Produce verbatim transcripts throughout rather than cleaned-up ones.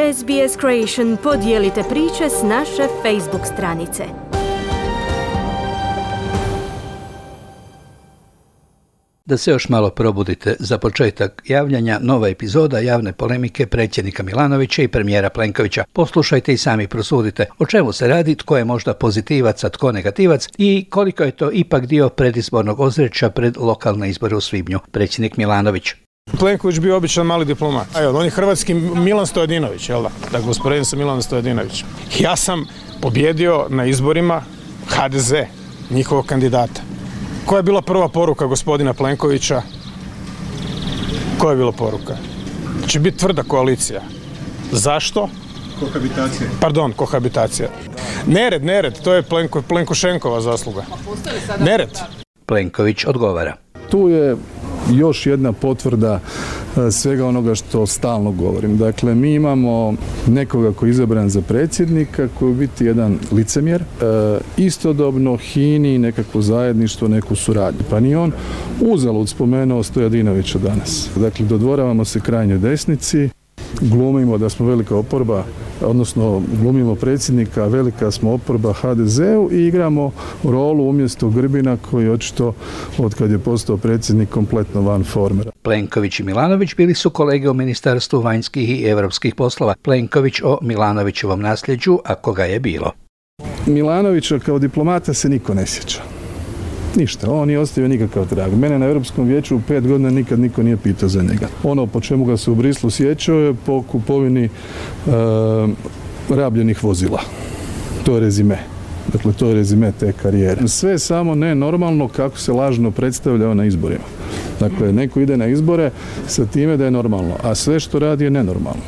S B S Creation podijelite priče s naše Facebook stranice. Da se još malo probudite za početak javljanja, nova epizoda javne polemike predsjednika Milanovića i premijera Plenkovića. Poslušajte i sami prosudite o čemu se radi, tko je možda pozitivac, a tko negativac i koliko je to ipak dio predizbornog ozračja pred lokalne izbore u svibnju. Predsjednik Milanović. Plenković bio običan mali diplomat. Evo, on je hrvatski Milan Stojadinović, jel da? Dakle, usporedim sa Milanom Stojadinovićem. Ja sam pobjedio na izborima H D Z, njihovog kandidata. Koja je bila prva poruka gospodina Plenkovića? Koja je bila poruka? Će biti tvrda koalicija. Zašto? Kohabitacija. Pardon, kohabitacija. Nered, nered, to je Plenko, Plenkošenkova zasluga. Nered. Plenković odgovara. Tu je još jedna potvrda svega onoga što stalno govorim. Dakle, mi imamo nekoga koji je izabran za predsjednika, koji je biti jedan licemjer, istodobno hini nekakvo zajedništvo, neku suradnju. Pa ni on uzalud spomenuo Stojadinovića danas. Dakle, dodvoravamo se krajnjoj desnici, glumimo da smo velika oporba, odnosno glumimo predsjednika, velika smo oporba H D Z-u i igramo rolu umjesto Grbina koji očito od kad je postao predsjednik kompletno van forme. Plenković i Milanović bili su kolege u Ministarstvu vanjskih i europskih poslova. Plenković o Milanovićevom nasljeđu, a koga je bilo. Milanovića kao diplomata se niko ne sjeća. Ništa, on nije ostavio nikakav trag. Mene na Europskom vijeću u pet godina nikad niko nije pitao za njega. Ono po čemu ga se u Brislu sjećao je po kupovini e, rabljenih vozila. To je rezime. Dakle, to je rezime te karijere. Sve je samo nenormalno kako se lažno predstavljao na izborima. Dakle, neko ide na izbore sa time da je normalno, a sve što radi je nenormalno.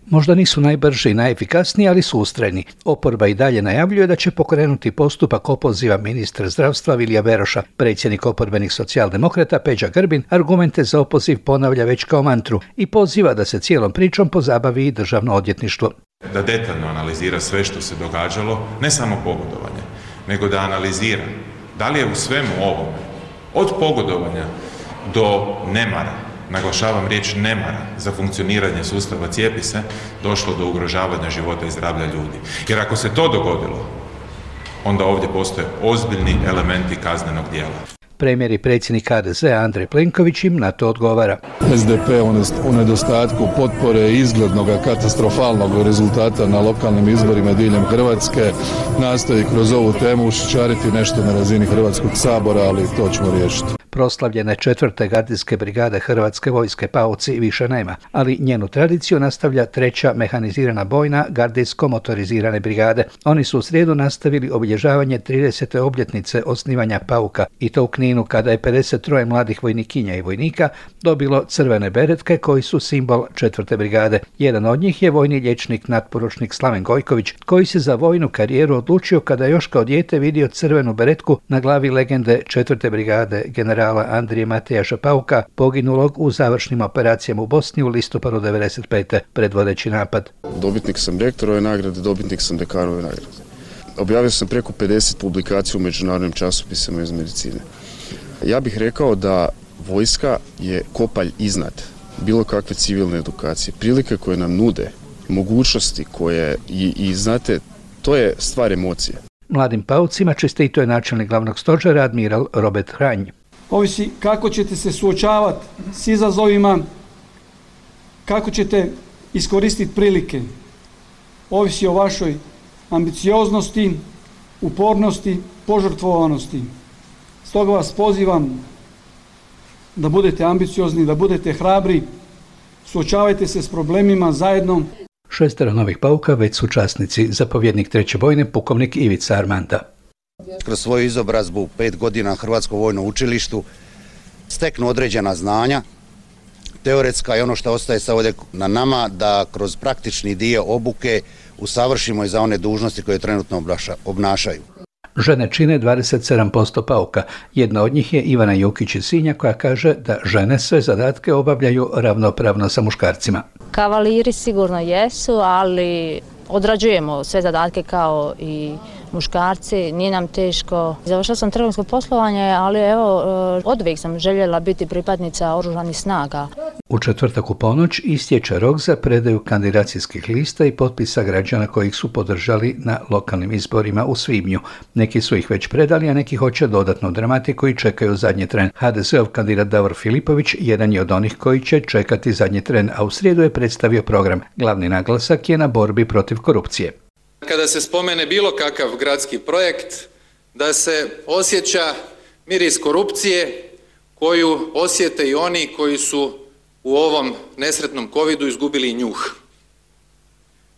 Možda nisu najbrži i najefikasniji, ali su ustrajni. Oporba i dalje najavljuje da će pokrenuti postupak opoziva ministra zdravstva Vilija Beroša. Predsjednik oporbenih socijaldemokrata Peđa Grbin argumente za opoziv ponavlja već kao mantru i poziva da se cijelom pričom pozabavi i državno odvjetništvo. Da detaljno analizira sve što se događalo, ne samo pogodovanje, nego da analizira da li je u svemu ovome, od pogodovanja do nemara, naglašavam riječ nemara za funkcioniranje sustava cijepi se, došlo do ugrožavanja života i zdravlja ljudi. Jer ako se to dogodilo, onda ovdje postoje ozbiljni elementi kaznenog djela. Premijer i predsjednik H D Z-a Andrej Plenković im na to odgovara. S D P u nedostatku potpore izglednog katastrofalnog rezultata na lokalnim izborima diljem Hrvatske nastoji kroz ovu temu ušićariti nešto na razini Hrvatskog sabora, ali to ćemo riješiti. Proslavljene četvrte gardijske brigade Hrvatske vojske Pauci više nema, ali njenu tradiciju nastavlja treća mehanizirana bojna gardijsko-motorizirane brigade. Oni su u srijedu nastavili obilježavanje tridesete obljetnice osnivanja Pauka i to u Kninu kada je pedeset tri mladih vojnikinja i vojnika dobilo crvene beretke koji su simbol četvrte brigade. Jedan od njih je vojni liječnik natporučnik Slaven Gojković koji se za vojnu karijeru odlučio kada još kao dijete vidio crvenu beretku na glavi legende četvrte brigade generala Andrije Matejaša Pauka, poginulog u završnim operacijama u Bosni u listopadu devedeset pete predvodeći napad. Dobitnik sam rektorove nagrade, dobitnik sam dekanove nagrade. Objavio sam preko pedeset publikacija u međunarodnim časopisima iz medicine. Ja bih rekao da vojska je kopalj iznad bilo kakve civilne edukacije. Prilike koje nam nude, mogućnosti koje i, i znate, to je stvar emocije. Mladim Paucima čestito je načelnik glavnog stožera admiral Robert Hranj. Ovisi kako ćete se suočavati s izazovima, kako ćete iskoristiti prilike. Ovisi o vašoj ambicioznosti, upornosti, požrtvovanosti. Stoga vas pozivam da budete ambiciozni, da budete hrabri, suočavajte se s problemima zajedno. Šestero novih Pauka već su časnici, zapovjednik treće bojne pukovnik Ivica Armanda. Kroz svoju izobrazbu u pet godina na Hrvatskom vojnom učilištu steknu određena znanja, teoretska i ono što ostaje sad ovdje na nama da kroz praktični dio obuke usavršimo i za one dužnosti koje trenutno obnašaju. Žene čine dvadeset sedam posto Pauka. Jedna od njih je Ivana Jukić iz Sinja koja kaže da žene sve zadatke obavljaju ravnopravno sa muškarcima. Kavaliri sigurno jesu, ali odrađujemo sve zadatke kao i muškarci, nije nam teško. Završila sam trgovinsko poslovanje, ali evo, oduvijek sam željela biti pripadnica oružanih snaga. U četvrtak u ponoć istječe rok za predaju kandidacijskih lista i potpisa građana kojih su podržali na lokalnim izborima u svibnju. Neki su ih već predali, a neki hoće dodatnu dramatiku i čekaju zadnji tren. ha de ze-ov kandidat Davor Filipović jedan je od onih koji će čekati zadnji tren, a u srijedu je predstavio program. Glavni naglasak je na borbi protiv korupcije. Kada se spomene bilo kakav gradski projekt, da se osjeća miris korupcije koju osjete i oni koji su u ovom nesretnom covidu izgubili njuh.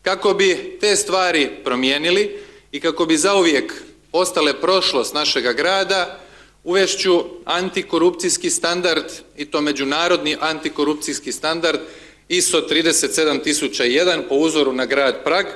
Kako bi te stvari promijenili i kako bi zauvijek ostale prošlost našega grada, uvešću antikorupcijski standard, i to međunarodni antikorupcijski standard I S O trideset sedam tisuća jedan po uzoru na grad Prag.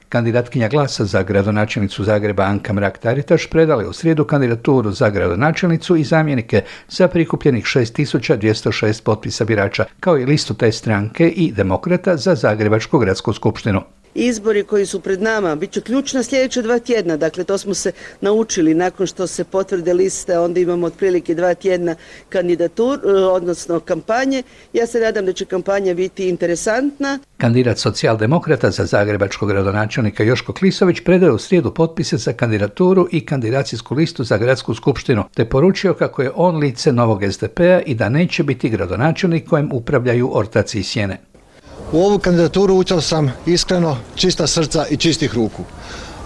Kandidatkinja Glasa za gradonačelnicu Zagreba Anka Mrak-Taritaš predala je u srijedu kandidaturu za gradonačelnicu i zamjenike za prikupljenih šest tisuća dvjesto šest potpisa birača, kao i listu te stranke i Demokrata za Zagrebačku gradsku skupštinu. Izbori koji su pred nama bit će ključna sljedeća dva tjedna, dakle to smo se naučili nakon što se potvrde liste, onda imamo otprilike dva tjedna kandidatur, odnosno kampanje. Ja se nadam da će kampanja biti interesantna. Kandidat socijaldemokrata za zagrebačkog gradonačelnika Joško Klisović predao u srijedu potpise za kandidaturu i kandidacijsku listu za gradsku skupštinu, te poručio kako je on lice novog es de pe-a i da neće biti gradonačelnik kojem upravljaju ortaci i sjene. U ovu kandidaturu ušao sam iskreno, čista srca i čistih ruku.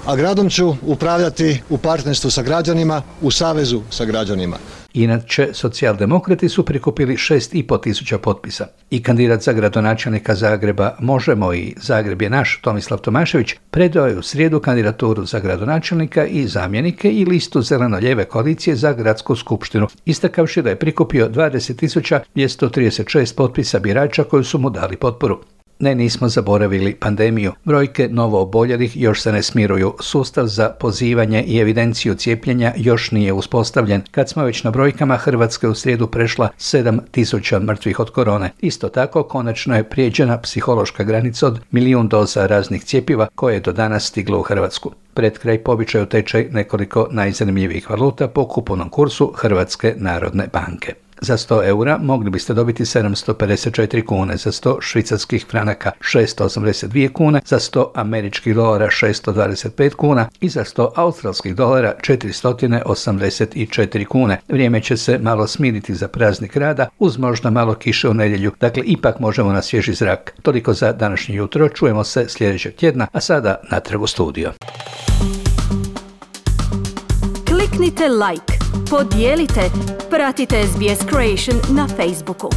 A gradom ću upravljati u partnerstvu sa građanima, u savezu sa građanima. Inače, socijaldemokrati su prikupili šest i pol tisuća potpisa. I kandidat za gradonačelnika Zagreba Možemo i Zagreb je naš Tomislav Tomašević predao je u srijedu kandidaturu za gradonačelnika i zamjenike i listu zeleno-lijeve koalicije za gradsku skupštinu, istakavši da je prikupio dvadeset tisuća dvjesto trideset šest potpisa birača koji su mu dali potporu. Ne, nismo zaboravili pandemiju. Brojke novo oboljelih još se ne smiruju. Sustav za pozivanje i evidenciju cijepljenja još nije uspostavljen. Kad smo već na brojkama, Hrvatska je u srijedu prešla sedam tisuća mrtvih od korone. Isto tako, konačno je prijeđena psihološka granica od milijun doza raznih cjepiva koje je do danas stiglo u Hrvatsku. Pred kraj po običaju tečaj nekoliko najzanimljivijih valuta po kupovnom kursu Hrvatske narodne banke. Za sto eura mogli biste dobiti sedamsto pedeset četiri kune, za sto švicarskih franaka šesto osamdeset dvije kune, za sto američkih dolara šesto dvadeset pet kuna i za sto australskih dolara četiristo osamdeset četiri kune. Vrijeme će se malo smiriti za praznik rada, uz možda malo kiše u nedjelju, dakle ipak možemo na svježi zrak. Toliko za današnje jutro, čujemo se sljedećeg tjedna, a sada natrag u studio. Kliknite like, podijelite, pratite es be es Creation na Facebooku.